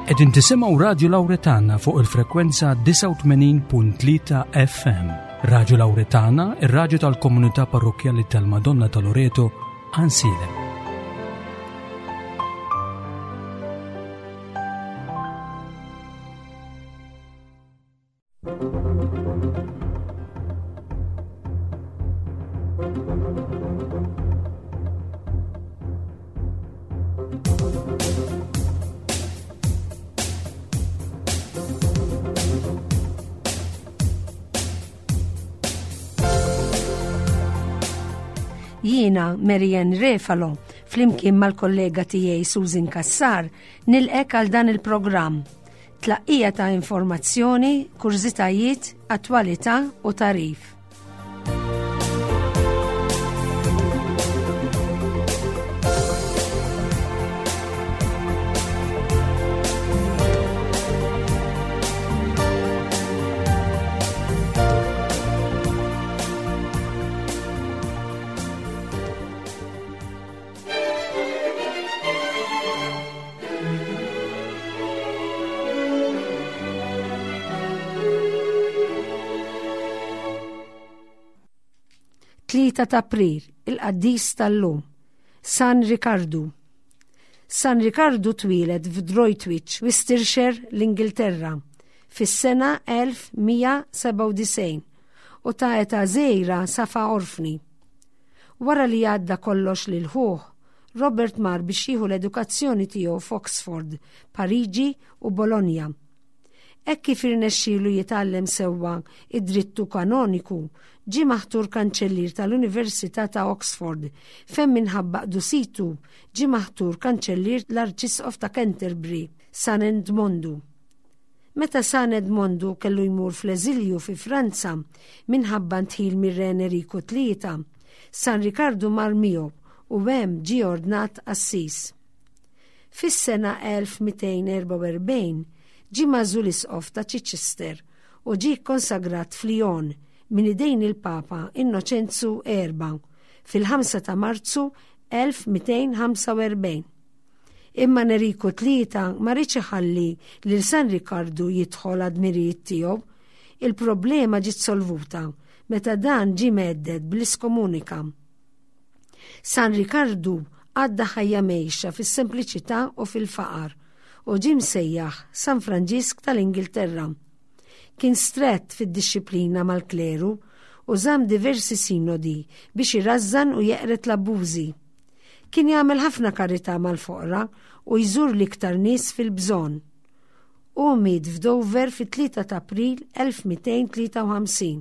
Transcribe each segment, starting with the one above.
Qegħdin tisimgħu Radju Lawretana fuq il-frekwenza 89.3 FM. Radju Lawretana, ir-radju tal-komunità parrokkjali tal-Madonna ta' Loreto, Ansilem. Jiena Marianne Refalo, flimkien mal-kollega tiegħi Susan Kassar, nilqek għal dan il-programm. Tlaqqija ta' informazzjoni, kurżitajiet, attwalità u tagħrif. Tlieta ta' April, il-qaddis tal-lum, San Rikardu. San Rikardu twieled f'Droitwich, Worcestershire, l-Ingilterra, fis-sena 1197 u ta' età żgħira safa orfni. Wara li għadda kollox lil ħuh, Robert mar biex jieħu l-edukazzjoni tiegħu f'Oxford, Pariġi u Bologna. Hekk kif irnexxielu jitgħallem sewwa id-drittu kanoniku, ġie maħtur kanċellier tal-Università ta' Oxford, fejn minħabba qdusitu ġie maħtur kanċellier l-Arċisqof ta' Canterbury, San Edmondu. Meta San Edmondu kellu jmur fl-eżilju fi Franza minħabba ndħil mir-Re Eneriku Tlieta, San Rikardu mar miegħu u hemm ġie ordnat qassis. Fis-sena 1244 ġie magħżul isqof ta' Chichester u ġie kkonsagrat f'Lyon minn idejn il-Papa Innoċenzu Erba' fil-5 ta' Marzu 1245. Imma Neriku Tlieta ma riedx iħalli lil San Rikardu jidħol għad-dmirijiet tiegħu. Il-problema ġiet solvuta meta dan ġie mhedded bl-iskomunika. San Rikardu għadda ħajja mgħejxa fis-sempliċità u fil-faqar u ġie msejjaħ San Franġisk tal-Ingilterra. Kien strett fid-dixxiplina mal-kleru u żamm diversi sinodi biex irażżan u jeqred l-abbużi. Kien jagħmel ħafna karità mal-foqra u jżur l-iktar nies fil-bżonn. Hu miet f'Dover fit-3 ta' April 1253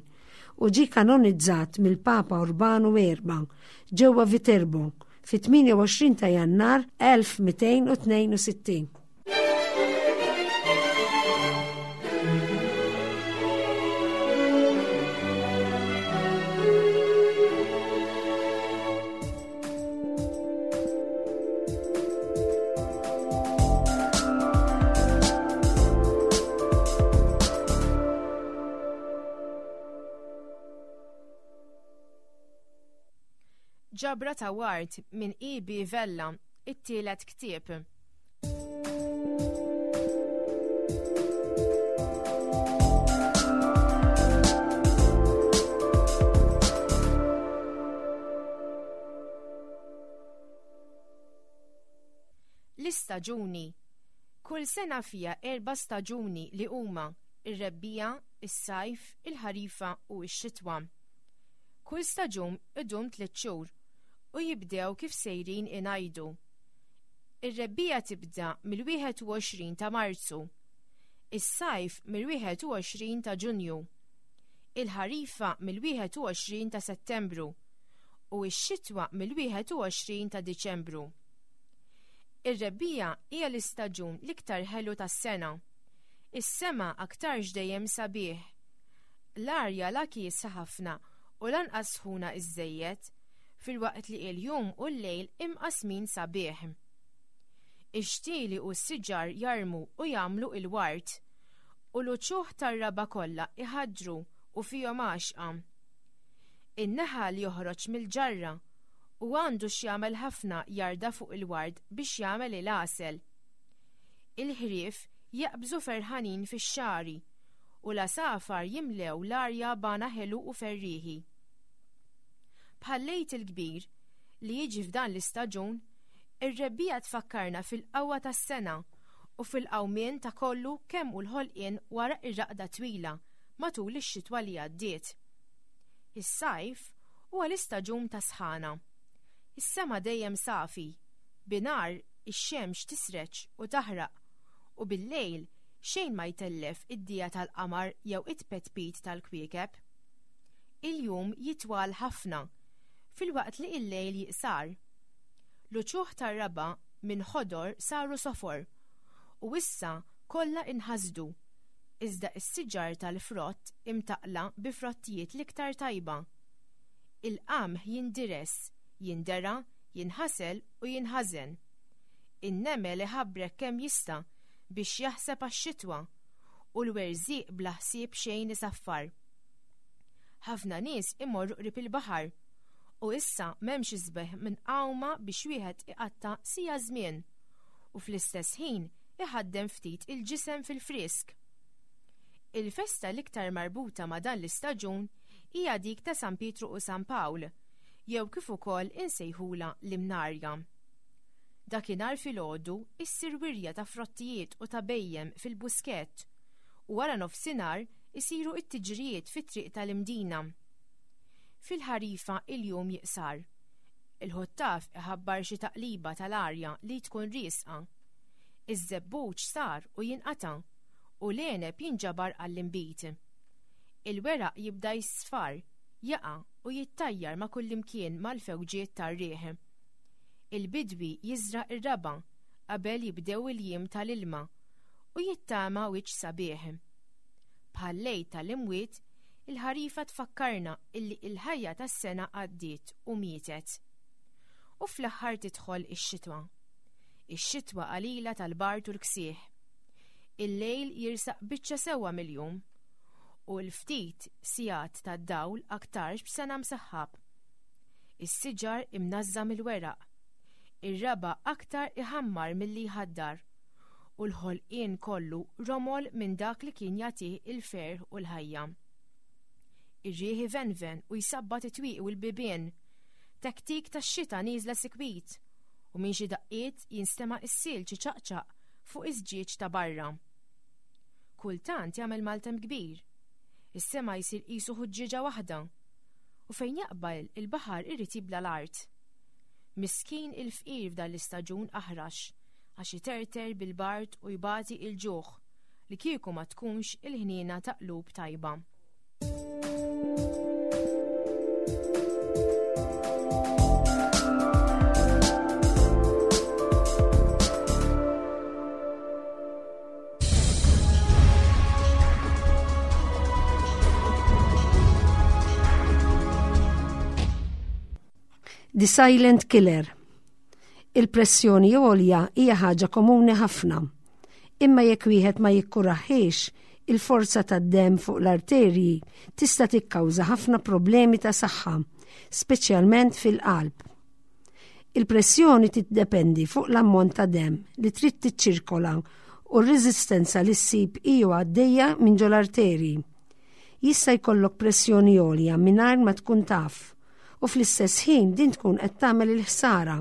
u ġie kanonizzat mill-Papa Urbanu Erba' ġewwa Viterbo fit-28 ta' Jannar 1262. Ġabra ta' Ward minn E.B. Vella, it-tielet ktieb. L-istaġuni. Kull sena fiha erba' staġuni li huma ir-rebbiegħa, is-sajf, il-ħarifa u x-xitwa. Kull staġun idum tliet xhur u jibdew kif sejrin ingħidu. Ir-rebbiegħa tibda mill-21 ta' Marzu. Is-sajf mill-21 ta' Ġunju. Il-ħarifa mill-21 ta' Settembru u x-xitwa mill-21 ta' Diċembru. Ir-rebbiegħa hija l-istaġun l-iktar ħelu tas-sena. Is-sema aktarx dejjem sabiħ. L-arja la kiesħa ħafna u lanqas sħuna iżżejjed. filwaqt li il-jum u l-lejl imqassmin sabiħ. Ix-xtieli u s-siġar jarmu u jagħmlu il-ward, u l-uċuħ tar-raba' kollha iħaddru u fihom għaxqa. In-naħal joħroġ mill-ġarra u għandu x'jagħmel ħafna jarda fuq il-ward biex jagħmel il-għasel. Il-ħrief jaqbżu ferħanin fix-xagħri u l-għasafar jimlew l-arja b'għana ħelu u ferrieħi. Bħal-Għid il-Kbir, li jiġi f'dan l-istaġun, ir-rebbiegħa tfakkarna fil-qawwa tas-sena u fil-qawmien ta' kollu kemm hu l-ħolqien wara r-raqda twila matul ix-xitwa li għaddiet. Is-sajf huwa l-istaġun tas-sħana. Is-sema dejjem safi, binhar ix-xemx tisreġ u taħraq u bil-lejl xejn ma jtellef id-dija tal-qamar jew it-tpetpit tal-kwiekeb. Il-jum jitwal ħafna, filwaqt li il-lejl jiqsar. L-uċuħ tar-raba' minn ħodor saru sofor, u issa kollha inħasdu, iżda s-siġar tal-frott imtaqqla bi frottijiet l-iktar tajba. Il-qamħ jindires, jindera, jinħasel u jinħażen. In-nemel iħabbrek kemm jista' biex jaħseb għax-xitwa, u l-werżieq bla ħsieb xejn isaffar. Ħafna nies imorru qrib il-baħar, u issa m'hemmx isbaħ minn għawma biex wieħed iqatta' siegħa żmien, u fl-istess ħin iħaddem ftit il-ġisem fil-frisk. Il-festa l-iktar marbuta ma' dan l-istaġun hija dik ta' San Pietru u San Pawl, jew kif ukoll insejħulha l-Imnarja. Dakinhar filgħodu issir wirja ta' frottijiet u ta' bhejjem fil-Buskett u wara nofsinhar isiru t-tiġrijiet fit-triq tal-Imdina. Fil-ħarifa il-jum jiqsar. Il-ħuttaf iħabbar xi taqliba tal-arja li tkun riesqa. Iż-żebbuġ sar u jinqata' u l-għeneb jinġabar għall-inbid. Il-weraq jibda jisfar, jaqa' u jittajjar ma' kullimkien mal-fewġiet tar-riħ. Il-bidwi jiżra' r-raba' qabel jibdew il-jiem tal-ilma u jittama wiċċ sabiħ. Bħal-lejl tal-imwiet, il-ħarifa tfakkarna illi il-ħajja tas-sena għaddiet u mietet. U fl-aħħar tidħol ix-xitwa. Ix-xitwa qalila tal-bard u l-ksieħ. Il-lejl jirsaq biċċa sewwa mill-jum u l-ftit sigħat tad-dawl aktarx b'sena msaħħab. Is-siġar imnażża' mill-weraq. Ir-raba' aktar iħammar milli jħaddar u l-ħolqien kollu romol minn dak li kien jagħtih il-ferħ u l-ħajja. Ir-riħ ivenven u jsabbat it-twieqi u l-bibien. Tektik tax-xita nieżla sikwit u minn xi daqqiet jinstema' s-silġ iċaqċaq fuq iż-żġieġ ta' barra. Kultant jagħmel maltemp kbir. Is-sema jsir qisu ħuġġieġa waħda. U fejn jaqbel il-baħar irid jibla' l-art. Miskin il-fqir f'dan l-istaġun aħrax għax iterter bil-bard u jbati il-ġuħ li kieku ma tkunx il-ħniena ta' qlub tajba. The Silent Killer Il-pressjoni għolja hija ħaġa komuni ħafna. Imma jekk wieħed ma jikkuraħiex, il-forza tad-demm fuq l-arterji tista' tikkawża ħafna problemi ta' saħħa, speċjalment fil-qalb. Il-pressjoni tiddependi fuq l-ammont ta' demm li trid tiċċirkola u r-reżistenza li ssib iju għaddejja minn ġol-arterji. Jista' jkollok pressjoni għolja mingħajr ma tkun taf u fl-istess ħin din tkun qed tagħmel il-ħsara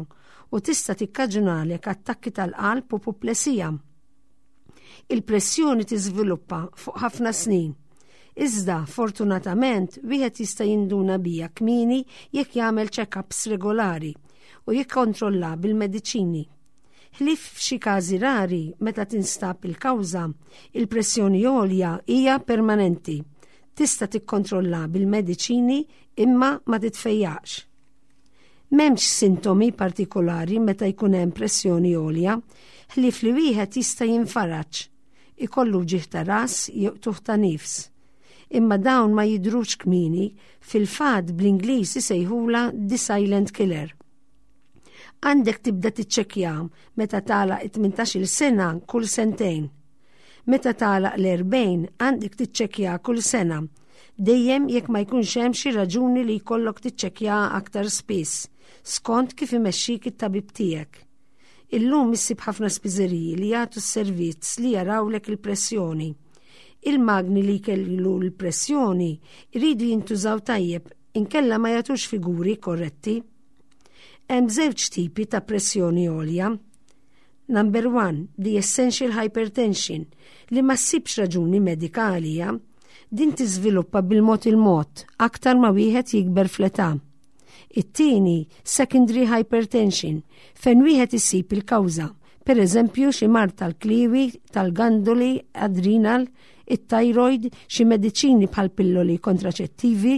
u tista' tikkaġunalek attakki tal-qalb u puplesija. Il-pressjoni tiżviluppa fuq ħafna snin. Iżda, fortunatament, wieħed jista' jinduna bija kmieni jekk jagħmel check-ups regolari u jikkontrolla bil-mediċini. Ħlief f'xi każi rari meta tinstab il-kawża, il-pressjoni għolja hija permanenti. Tista' tikkontrolla bil-mediċini imma ma titfejjaqx. M'hemmx sintomi partikolari meta jkun hemm pressjoni għolja, ħlief li wieħed jista' jinfaraġ, ikollu wġigħ ta' ras jew qtugħ ta' nifs. Imma dawn ma jidhrux kmieni, fil-fatt bl-Ingliż isejħulha the silent killer. Għandek tibda tiċċekkja meta tagħlaq it-18-il sena kull sentejn. Meta tagħlaq l-40 għandek tiċċekkja kull sena, dejjem jekk ma jkunx hemm xi raġuni li jkollok tiċċekkja aktar spiss, skont kif imexxik it-tabib tiegħek. Illum issib ħafna spiżeriji li jagħtu s-servizz li jarawlek il-pressjoni. Il-magni li jkellu l-pressjoni jridu jintużaw tajjeb inkella ma jagħtux figuri korretti. Hemm żewġ tipi ta' pressjoni għolja. Number one, the essential hypertension, li ma ssibx raġuni medika għalija. Din tiżviluppa bil-mod il-mod, aktar ma wieħed jikber fl-età. It-tieni, secondary hypertension, fejn wieħed isib il-kawża, per eżempju xi mard tal-kliewi, tal-gandoli, adrenal, it-thyroid, xi mediċini bħal pilloli kontraċettivi,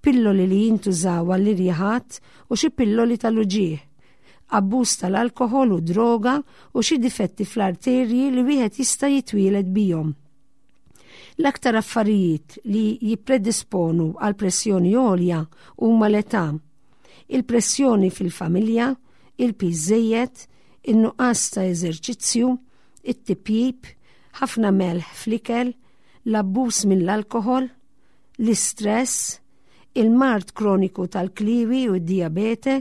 pilloli li jintużaw għall-irjaħat u xi pilloli tal-uġigħ, abbuż tal-alkoħol u droga u xi difetti fl-arterji li wieħed jista' jitwieled bihom. L-aktar affarijiet li jippredisponu għal pressjoni għolja huma l-età, il-pressjoni fil-familja, il-piż żejjed, in-nuqqas ta' eżerċizzju, it-tipjip, ħafna melħ fl-ikel, l-abbuż mill-alkoħol, l-istress, il-mard kroniku tal-kliewi u d-dijabete,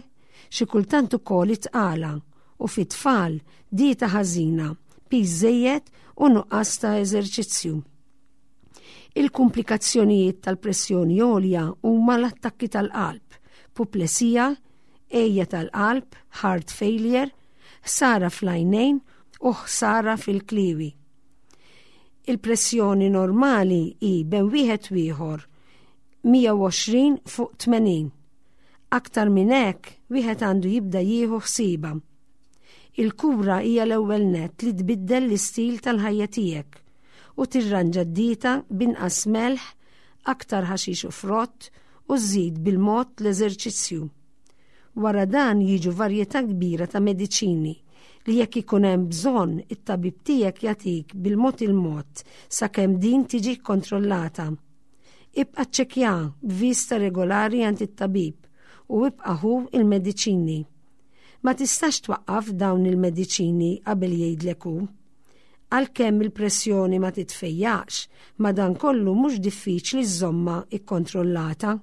xi kultant ukoll it-tqala u fit-tfal dieta ħażina, piż żejjed u nuqqas ta' eżerċizzju. Il-kumplikazzjonijiet tal-pressjoni għolja huma l-attakki tal-qalb, puplesija, għejja tal-qalb, heart failure, ħsara fl-għajnejn u ħsara fil-kliewi. Il-pressjoni normali hi bejn wieħed u ieħor 120 fuq 80. Aktar minn hekk, wieħed għandu jibda jieħu ħsiebha. Il-kura hija l-ewwel nett li tbiddel l-istil tal-ħajja tiegħek u tirranġa d-dieta b'inqas melħ, aktar ħaxix u frott u żżid bil-mod l-eżerċizzju. Wara dan jiġu varjetà kbira ta' mediċini li jekk ikun hemm bżonn it-tabib tiegħek jagħtik bil-mod il-mod sakemm din tiġi kkontrollata. Ibqa' ċċekkja b'vista regolari għand it-tabib u ibqa' ħu il-mediċini. Ma tistax twaqqaf dawn il-mediċini qabel jgħidlek hu. Għalkemm il-pressjoni ma titfejjaqx, madankollu mhux diffiċli żżommha ikkontrollata.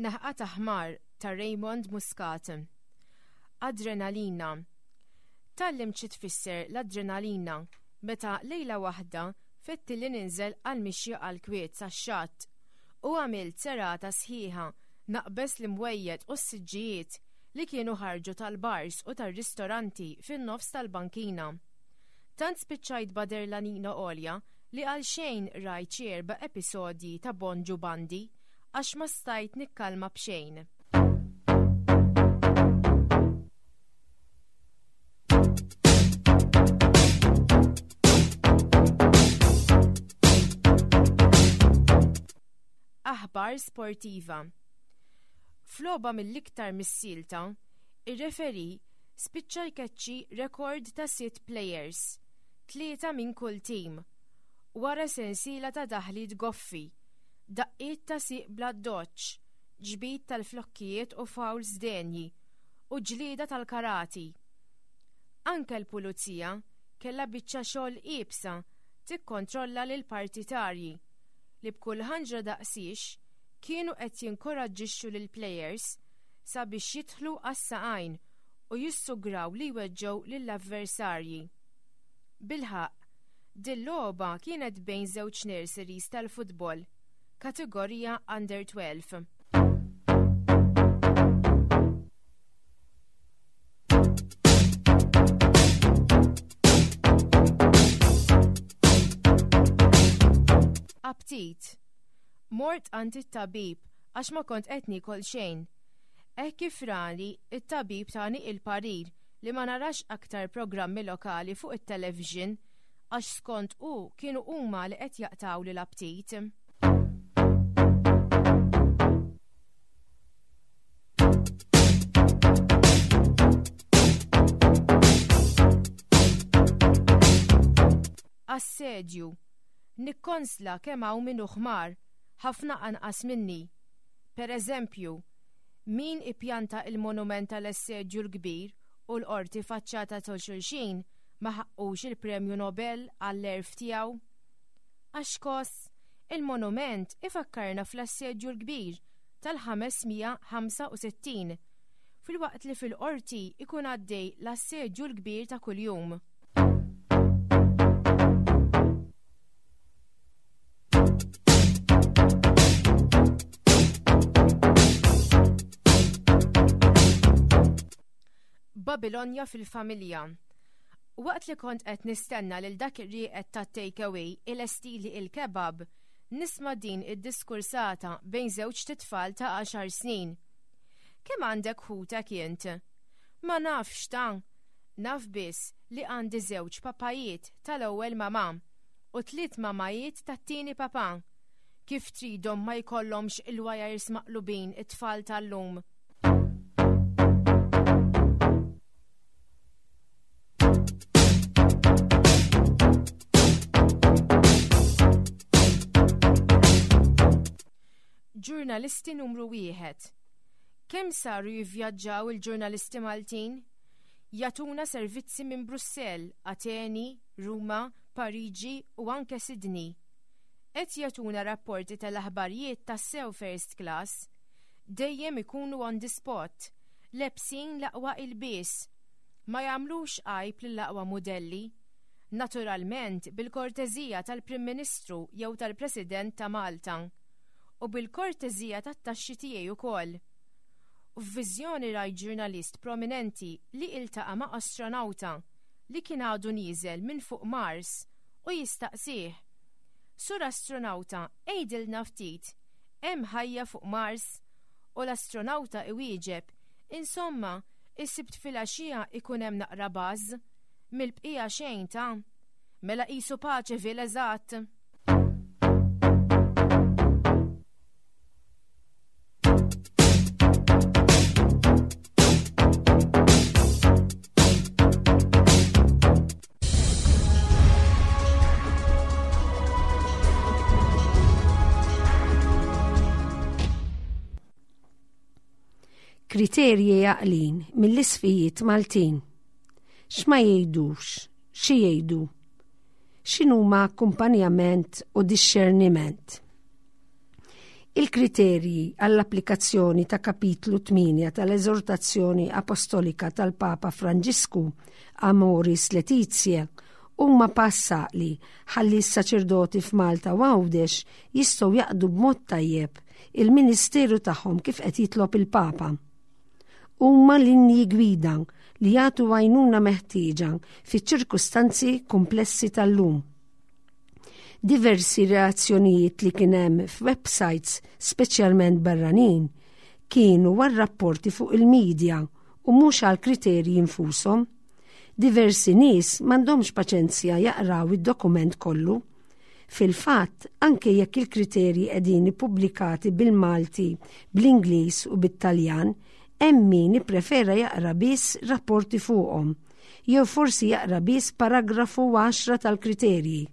Naħqa ta' ħmar ta' Raymond Muscat. Adrenalina. Tgħallimt xi tfisser l-adrenalina meta lejla waħda fetti li ninżel għal mixja għal kwiet sax-xatt u għamilt serata sħiħa naqbeż l-imwejjed u s-siġġijiet li kienu ħarġu tal-bars u tar-ristoranti fin-nofs tal-bankina. Tant spiċċajt b'aderlanina għolja li għalxejn rajt xi erba' episodji ta' Bonġu Bandi għax ma stajt nikkalma b'xejn. Aħbar sportiva. F'logħba mill-iktar missielta, ir-referee spiċċa jkeċċi rekord ta' sitt plejers, tlieta minn kull tim, wara sensiela ta' daħliet goffi, daqqiet ta' sieq bl-addoċċ, ġbid tal-flokkijiet u fouls denji, u ġlieda tal-karati. Anke l-pulizija kellha biċċa xogħol iebsa tikkontrolla lill-partitarji li b'kull ħanġra daqsiex kienu qed jinkoraġġixxu lill-plejers sabiex jidħlu għas-saqajn u jissugraw li jweġġgħu lill-avversarji. Bilħaqq, dil-logħba kienet bejn żewġ nurseries tal-futbol, kategorija Under 12. Aptit. Mort għand it-tabib għax ma kont qed niekol xejn. Hekk kif rani, it-tabib tani il-parir li ma narax aktar programmi lokali fuq it-television għax skont hu kienu huma li qed jaqtgħuli l-aptit. Assedju. Nikkonsla kemm hawn min hu ħmar, ħafna anqas minni. Per eżempju, min ippjanta il-monument tal-Assedju l-Kbir u l-qorti faċċata ta' xulxin ma ħaqqux il-Premju Nobel għall-għerf tiegħu? Għax kos, il-monument ifakkarna fl-Assedju l-Kbir tal-565, filwaqt li fil-qorti ikun għaddej l-assedju l-kbir ta' kuljum. Babilonja fil-familja. Waqt li kont qed nistenna lil dak ir-rieqed ta' take away ilestili il-kebab, nisma' din id-diskursata bejn żewġt itfal ta' għaxar snin. Kemm għandek ħutek int? Ma nafx ta'. Naf biss li għandi żewġ papajiet tal-ewwel mamà u tliet mamajiet tat-tieni papà. Kif tridhom ma jkollhomx il-wajers maqlubin it-tfal tal-lum? Ġurnalisti numru wieħed. Kemm saru jivvjaġġaw il-ġurnalisti Maltin? Jagħtuna servizzi minn Brussell, Ateni, Ruma, Pariġi u anke Sydney. Qed jagħtuna rapporti tal-aħbarijiet tassew first class. Dejjem ikunu on the spot, lebsin l-aqwa ilbies. Ma jagħmlux għajb lill-aqwa mudelli. Naturalment bil-korteżija tal-Prim Ministru jew tal-President ta' Malta. U bil-korteżija tat-taxxi tiegħi ukoll. U f'viżjoni rajt ġurnalist prominenti li iltaqa' ma' astronawta li kien għadu nieżel minn fuq Mars u jistaqsih, Sur astronawta, għidilna ftit, hemm ħajja fuq Mars? U l-astronawta iwieġeb, Insomma, is-Sibt filgħaxija ikun hemm naqra buzz. Mill-bqija xejn ta'. Mela qisu Paceville eżatt! Kriterji għaqlin mill-isfijiet Maltin. X'ma jgħidux, xi jgħidu? X'inhuma akkumpanjament u dixxerniment? Il-kriterji għall-applikazzjoni ta' kapitlu 8 tal-Eżortazzjoni Apostolika tal-Papa Franġisku Amoris Laetitia huma pass għaqli ħalli s-saċerdoti f'Malta u Għawdex jistgħu jaqdu b'mod tajjeb il-ministeru tagħhom kif qed jitlob il-Papa. Huma linji gwida li jagħtu għajnuna meħtieġa fiċ-ċirkustanzi kumplessi tal-lum. Diversi reazzjonijiet li kien hemm f'websites speċjalment barranin kienu għar-rapporti fuq il-media u mhux għall-kriterji infushom. Diversi nies m'għandhomx paċenzja jaqraw id-dokument kollu. Fil-fatt, anke jekk il-kriterji qegħdin ippubblikati bil-Malti, bl-Ingliż u bit-Taljan, hemm min ipprefera jaqra biss rapporti fuqhom jew forsi jaqra biss paragrafu għaxra tal-kriterji,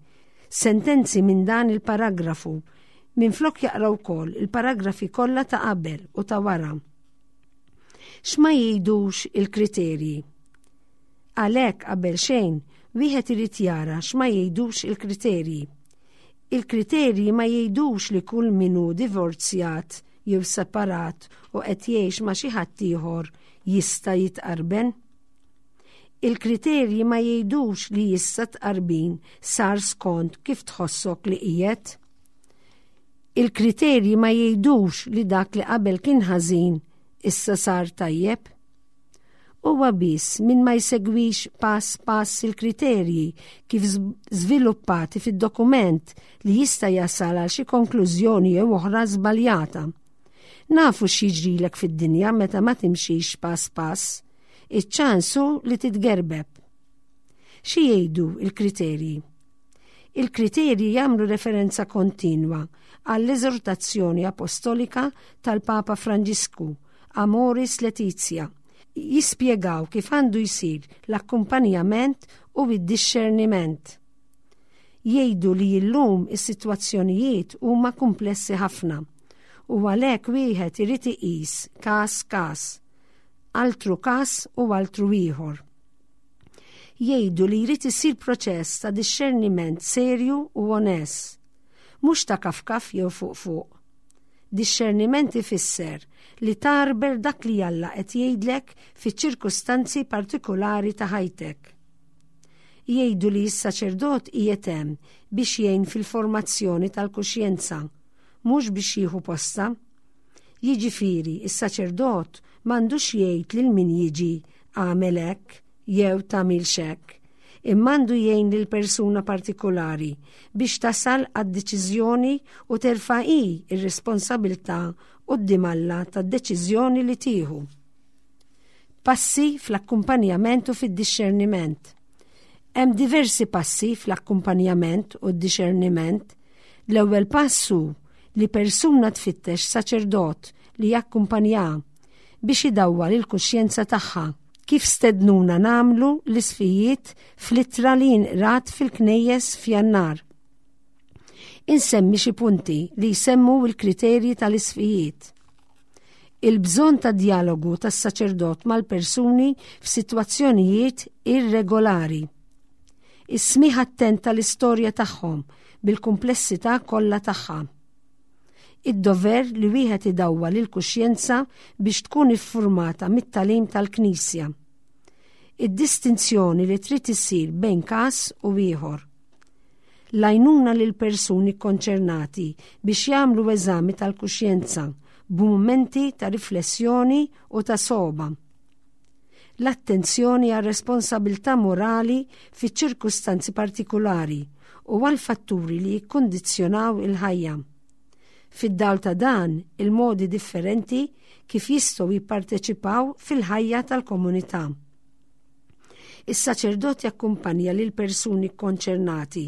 sentenzi minn dan il-paragrafu, minflok jaqra wkoll il-paragrafi kollha ta' qabel u ta' wara. X'ma jgħidux il-kriterji? Għalhekk qabel xejn, wieħed irid jara x'ma jgħidux il-kriterji. Il-kriterji ma jgħidux li kull min hu divorzjat jew separat u qed jgħix ma' xi ħadd ieħor jista' jitqarben. Il-kriterji ma jgħidux li issa tqarbin sar skont kif tħossok li qiegħed. Il-kriterji ma jgħidux li dak li qabel kien ħażin issa sar tajjeb. Huwa biss min ma jsegwix pass pass il-kriterji kif żviluppati fid-dokument li jista' jasal għal xi konklużjoni jew oħra żbaljata. Nafu x'jiġrilek fid-dinja meta ma timxix pass pass. Iċ-ċans hu li titgerbeb. Xi jgħidu l-kriterji? Il-kriterji jagħmlu referenza kontinwa għall-eżortazzjoni apostolika tal-Papa Franġisku, Amoris Laetitia, jispjegaw kif għandu jsir l-akkumpanjament u d-dixxerniment. Jgħidu li llum is-sitwazzjonijiet huma kumplessi ħafna. U għalhekk wieħed irid iqis każ każ, altru każ u altru ieħor. Jgħidu li jrid isir proċess ta' dixxerniment serju u onest, mhux ta' kafkaf jew fuq fuq. Dixxerniment ifisser li tgħarbel dak li Alla qed jgħidlek fiċ-ċirkustanzi partikulari ta' ħajtek. Jgħidu li s-saċerdot qiegħed hemm biex jgħin fil-formazzjoni tal-kuxjenza, mhux biex jieħu postha. Jiġifieri, is-saċerdot m'għandux jgħid lil min jiġi agħmel hekk jew tagħmilx hekk, imma għandu jgħin lil persuna partikulari biex tasal għad-deċiżjoni u terfa' hi r-responsabilità quddiem Alla tad-deċiżjoni li tieħu. Passi fl-akkumpanjament u fid-dixxerniment. Hemm diversi passi fl-akkumpanjament u d-dixxerniment. L-ewwel pass hu li persuna tfittex saċerdot li jakkumpanjaha biex idawwal il-kuxjenza tagħha, kif stednuna nagħmlu l-isfijiet fl-ittra li inqrat fil-knejjes f'Jannar. Insemmi xi punti li jsemmu l-kriterji tal-isfijiet. Il-bżonn ta' djalogu tas-saċerdot mal-persuni f'sitwazzjonijiet irregolari. Is-smigħ attent tal-istorja tagħhom bil-kumplessità kollha tagħha. Id-dover li wieħed idawwal il-kuxjenza biex tkun iffurmata mit-tagħlim tal-Knisja. Id-distinzjoni li trid issir bejn każ u ieħor. L-għajnuna lill-persuni kkonċernati biex jagħmlu eżami tal-kuxjenza b'mumenti ta' riflessjoni u ta' sogħba. L-attenzjoni għar-responsabilità morali fiċ-ċirkustanzi partikulari u għall-fatturi li jikkundizzjonaw il-ħajja. Fid-dawl ta' dan, il-modi differenti kif jistgħu jipparteċipaw fil-ħajja tal-komunità. Is-saċerdot jakkumpanja lill-persuni kkonċernati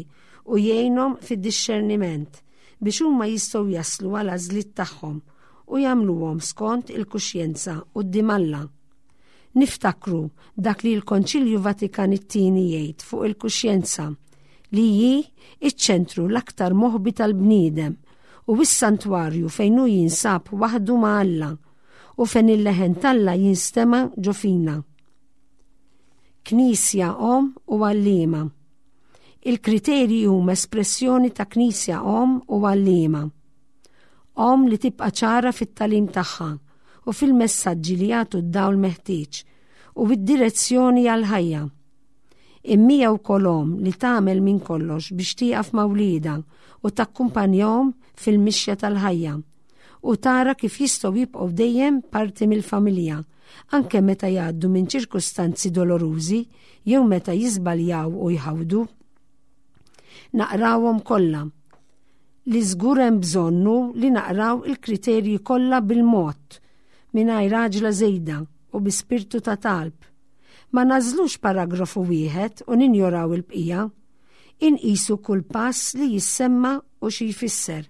u jgħinhom fid-dixxerniment biex huma jistgħu jaslu għal għażliet tagħhom u jagħmluhom skont il-kuxjenza quddiem Alla. Niftakru dak li l-Konċilju Vatikan it-Tieni jgħid fuq il-kuxjenza li hi iċ-ċentru l-aktar moħbi tal-bniedem u s-santwarju fejn hu jinsab waħdu ma' Alla u fejn il-leħen t'Alla jinstema' ġo fina. Knisja Omm u Għalliema. Il-kriterji huma espressjoni ta' Knisja Omm u Għalliema. Omm li tibqa' ċara fit-tagħlim tagħha u fil-messaġġi li jagħtu d-dawl meħtieġ u d-direzzjoni għall-ħajja. Imma hija wkoll omm li tagħmel minn kollox biex tieqaf ma' wliedha u takkumpanjahom fil-mixja tal-ħajja u tara kif jistgħu jibqgħu dejjem parti mill-familja, anke meta jgħaddu minn ċirkustanzi dolorużi jew meta jiżbaljaw u jħawdu. Naqrawhom kollha. Li żgur hemm bżonn hu li naqraw il-kriterji kollha bil-mod, mingħajr għaġla żejda u bi spirtu ta' talb. Ma nagħżlux paragrafu wieħed u ninjoraw il-bqija. Inqisu kull pass li jissemma u xi jfisser.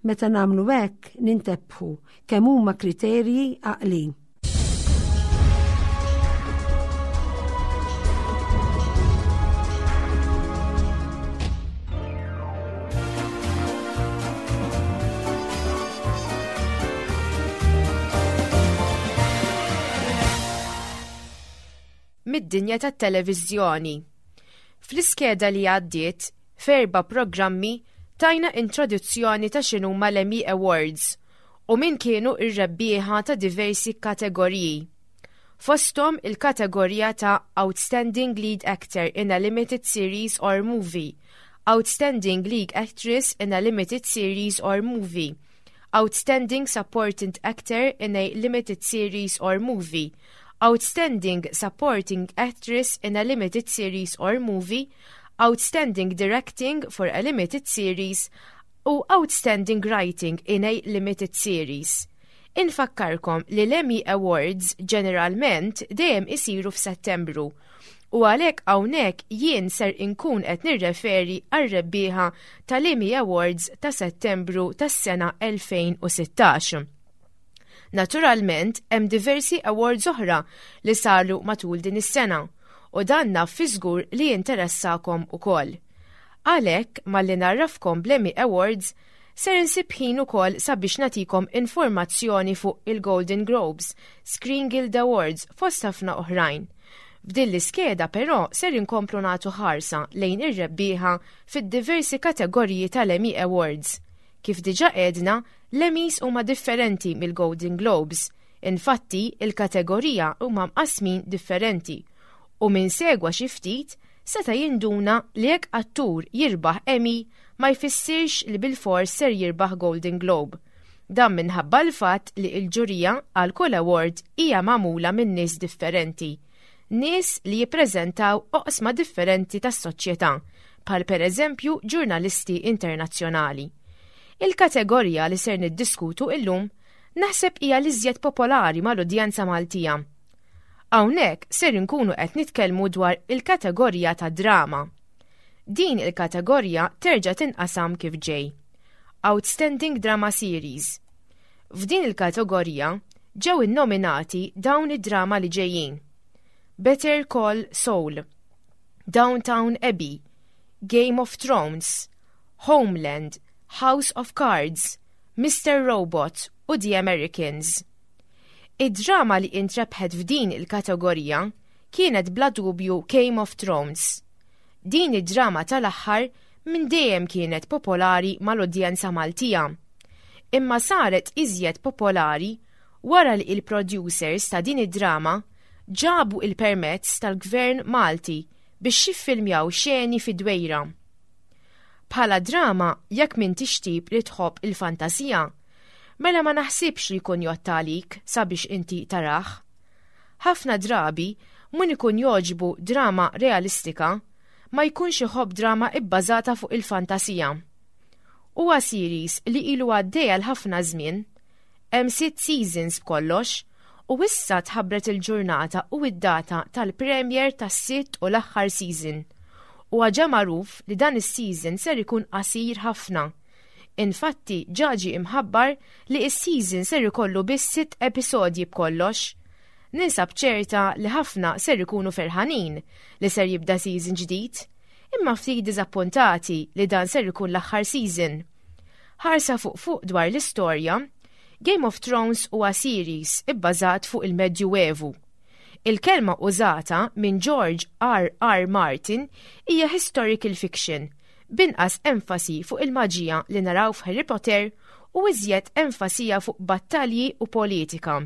Meta nagħmlu hekk nintebħu kemm huma kriterji għaqlin. Mid-dinja tat-televiżjoni. Fl-iskeda li għaddiet, f'erba' programmi tajna introduzzjoni ta' x'inhuma l-Emmy Awards u min kienu r-rebbieħa ta' diversi kategoriji. Fosthom il-kategorija ta' Outstanding Lead Actor in a Limited Series or Movie, Outstanding Lead Actress in a Limited Series or Movie, Outstanding Supporting Actor in a Limited Series or Movie, Outstanding Supporting Actress in a Limited Series or Movie, Outstanding Directing for a Limited Series u Outstanding Writing in a Limited Series. Infakkarkom li l-Emmy Awards ġeneralment dejjem isiru f'Settembru u għalhekk hawnhekk jien ser inkun qed nirreferi għar-rebbieħa tal-Emmy Awards ta' Settembru tas-sena 2016. Naturalment hemm diversi awards oħra li saru matul din is-sena u dan naf fi żgur li jinteressakom ukoll. Għalhekk malli ngħarrafkom bl-Emmy Awards. Ser insib ħin ukoll sabiex nagħtikom informazzjoni fuq il-Golden Globes, Screen Guild Awards fost ħafna oħrajn. F'din l-iskeda però ser inkomplu nagħtu ħarsa lejn ir-rebbieħa fid-diversi kategoriji tal-Emmy Awards. Kif diġà għedna, l-Emmys huma differenti mill-Golden Globes. Infatti, il-kategorija huma mqassmin differenti u min segwa xi ftit seta' jinduna li jekk attur jirbaħ Emmy ma jfissirx li bilfors ser jirbaħ Golden Globe. Dan minħabba l-fatt li l-ġurija għal kull award hija magħmula minn nies differenti. Nies li jippreżentaw oqsma differenti tas-soċjetà, bħal pereżempju ġurnalisti internazzjonali. Il-kategorija li ser niddiskutu illum naħseb hija l-iżjed popolari mal-udjenza Maltija. Hawnhekk ser inkunu qed nitkellmu dwar il-kategorija ta' drama. Din il-kategorija terġa' tinqasam kif ġej. Outstanding Drama Series. F'din il-kategorija ġew innominati dawn id-drama li ġejjin. Better Call Saul, Downtown Abbey, Game of Thrones, Homeland, House of Cards, Mr. Robot u The Americans. Id-drama li intrebħet f'din il-kategorija kienet bla dubju Game of Thrones. Din id-drama tal-aħħar minn dejjem kienet popolari mal-udjenza Maltija. Imma saret iżjed popolari wara li il-producers ta' din id-drama ġabu il-permezz tal-Gvern Malti biex jiffilmjaw xeni fid-Dwejra. Bħala drama jekk m'intix tip li tħobb il-fantasija, mela ma naħsibx li jkun jgħodd għalik sabiex inti tarah. Ħafna drabi min ikun jogħġbu drama realistika ma jkunx iħobb drama ibbażata fuq il-fantasija. Huwa series li ilu għaddej għal ħafna żmien. Hemm sitt seasons b'kollox u issa tħabbret il-ġurnata u id-data tal-premiere tas-sitt u l-aħħar season. Huwa ġa magħruf li dan is-season ser ikun qasir ħafna. Infatti ġa ġie imħabbar li s-season ser ikollu biss sitt episodji b'kollox. Ninsab ċerta li ħafna ser ikunu ferħanin li ser jibda season ġdid, imma ftit diżappuntati li dan ser ikun l-aħħar season. Ħarsa fuq fuq dwar l-istorja, Game of Thrones huwa series ibbażat fuq il-Medjuevu. Il-kelma użata minn George R. R. Martin hija historical fiction, b'inqas enfasi fuq il-maġija li naraw f'Harry Potter u iżjed enfasija fuq battalji u politika.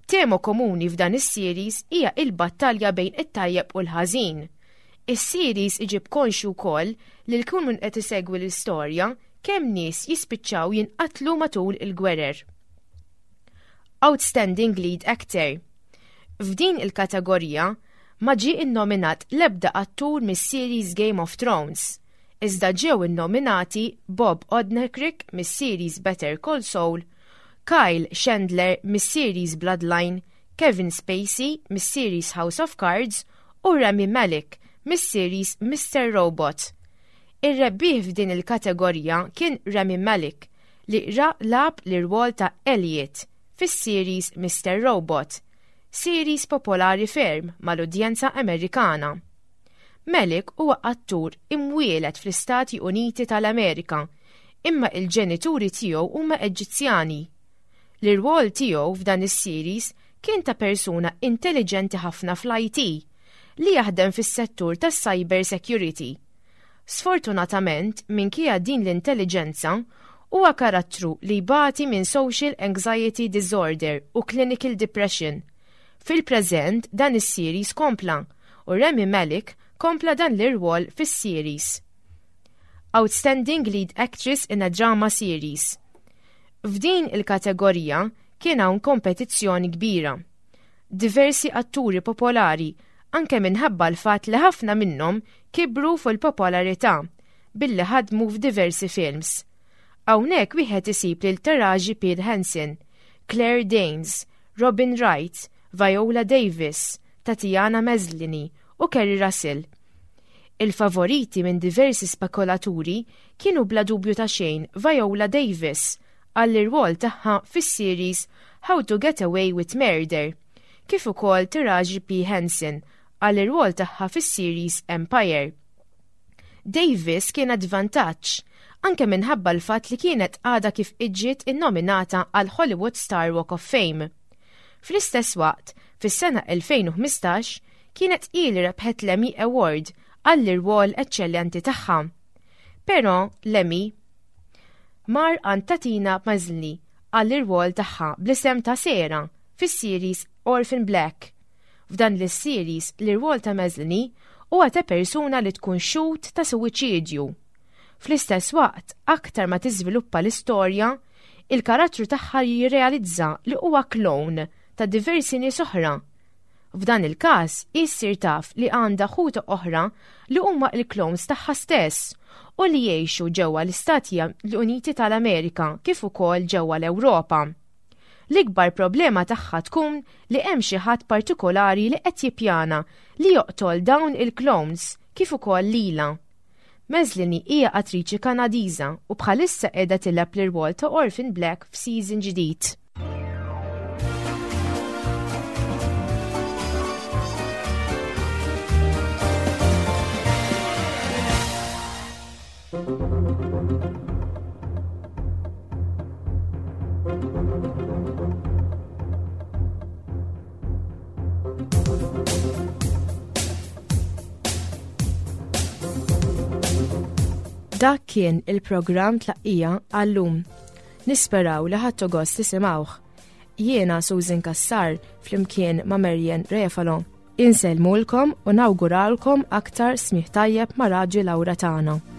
Tema komuni f'dan is-series hija il-battalja bejn it-tajjeb u l-ħażin. Is-series iġib konxju wkoll li l-kun min qed isegwi l-istorja kemm nies jispiċċaw jinqatlu matul il-gwerer. Outstanding Lead Actor. F'din il-kategorija ma ġie innominat l-ebda attur mis-series Game of Thrones, iżda ġew innominati Bob Odenkirk mis-series Better Call Saul, Kyle Chandler mis-series Bloodline, Kevin Spacey mis-series House of Cards u Rami Malek mis-series Mr. Robot. Ir-rebbieħ f'din il-kategorija kien Rami Malek li lagħab l-irwol ta' Elliot fis-series Mr. Robot, series popolari ferm mal-udjenza Amerikana. Malek huwa attur imwieled fl-Istati Uniti tal-Amerika, imma il-ġenituri tiegħu huma Eġizzjani. L-irwol tiegħu f'dan is-series kien ta' persuna intelligenti ħafna fl-IT li jaħdem fis-settur tas-cyber security. Sfortunatament, minkejja din l-intelligenza, huwa karattru li jbati minn social anxiety disorder u clinical depression. Fil-preżent dan is-series kompla u Rami Malek kompla dan l-irwol fis-series. Outstanding Lead Actress in a Drama Series. F'din il-kategorija kien hawn kompetizzjoni kbira. Diversi atturi popolari anke minħabba l-fatt li ħafna minnhom kibru fil-popolarità billi ħadmu f'diversi films. Hawnhekk wieħed isib lil Taraji P. Henson, Claire Danes, Robin Wright, Viola Davis, Tatiana Maslany u Keri Russell. Il-favoriti minn diversi spekulaturi kienu bla dubju ta' xejn Viola Davis għall-irwol tagħha fis-series How to Get Away with Murder, kif ukoll Taraji P. Henson għall-irwol tagħha fis-series Empire. Davis kienet vantaġġ. anke minħabba l-fatt li kienet għadha kif iġġiet innominata għal Hollywood Star Walk of Fame. Fl-istess waqt, fis-sena 2015, kienet hi li rebħet l-Emmy Award għall-irwol eċċellenti tagħha. Però l-Emmy mar għand Tatina Maslany għall-irwol tagħha bl-isem ta' Sarah fis-series Orphan Black. F'dan l-series l-irwol ta' Maslany huwa ta' persuna li tkun xhud ta' suwiċidju. Fl-istess waqt, aktar ma tiżviluppa l-istorja, il-karattru tagħha jirrealizza li huwa klon ta' diversi nies oħra. F'dan il-każ, hi ssir taf li għandha ħuta oħra li huma l-clones tagħha stess u li jgħixu ġewwa l-Istati Uniti tal-Amerika kif ukoll ġewwa l-Ewropa. L-ikbar problema tagħha tkun li hemm xi ħadd partikolari li qed jippjana li joqtol dawn il-clones kif ukoll lilha. Maslany hija attriċi Kanadiża u bħalissa qiegħda tilgħab l-irwol ta' Orphan Black f'season ġdid. Dak kien il-programm tlaqqija għallum. Nisperaw li ħadtu gost tisimgħuh. Jiena Susan Cassar flimkien ma' Marian Refalo. Insellmulkom u nawguralkom aktar smigħ tajjeb ma' Raġi Laura tagħna.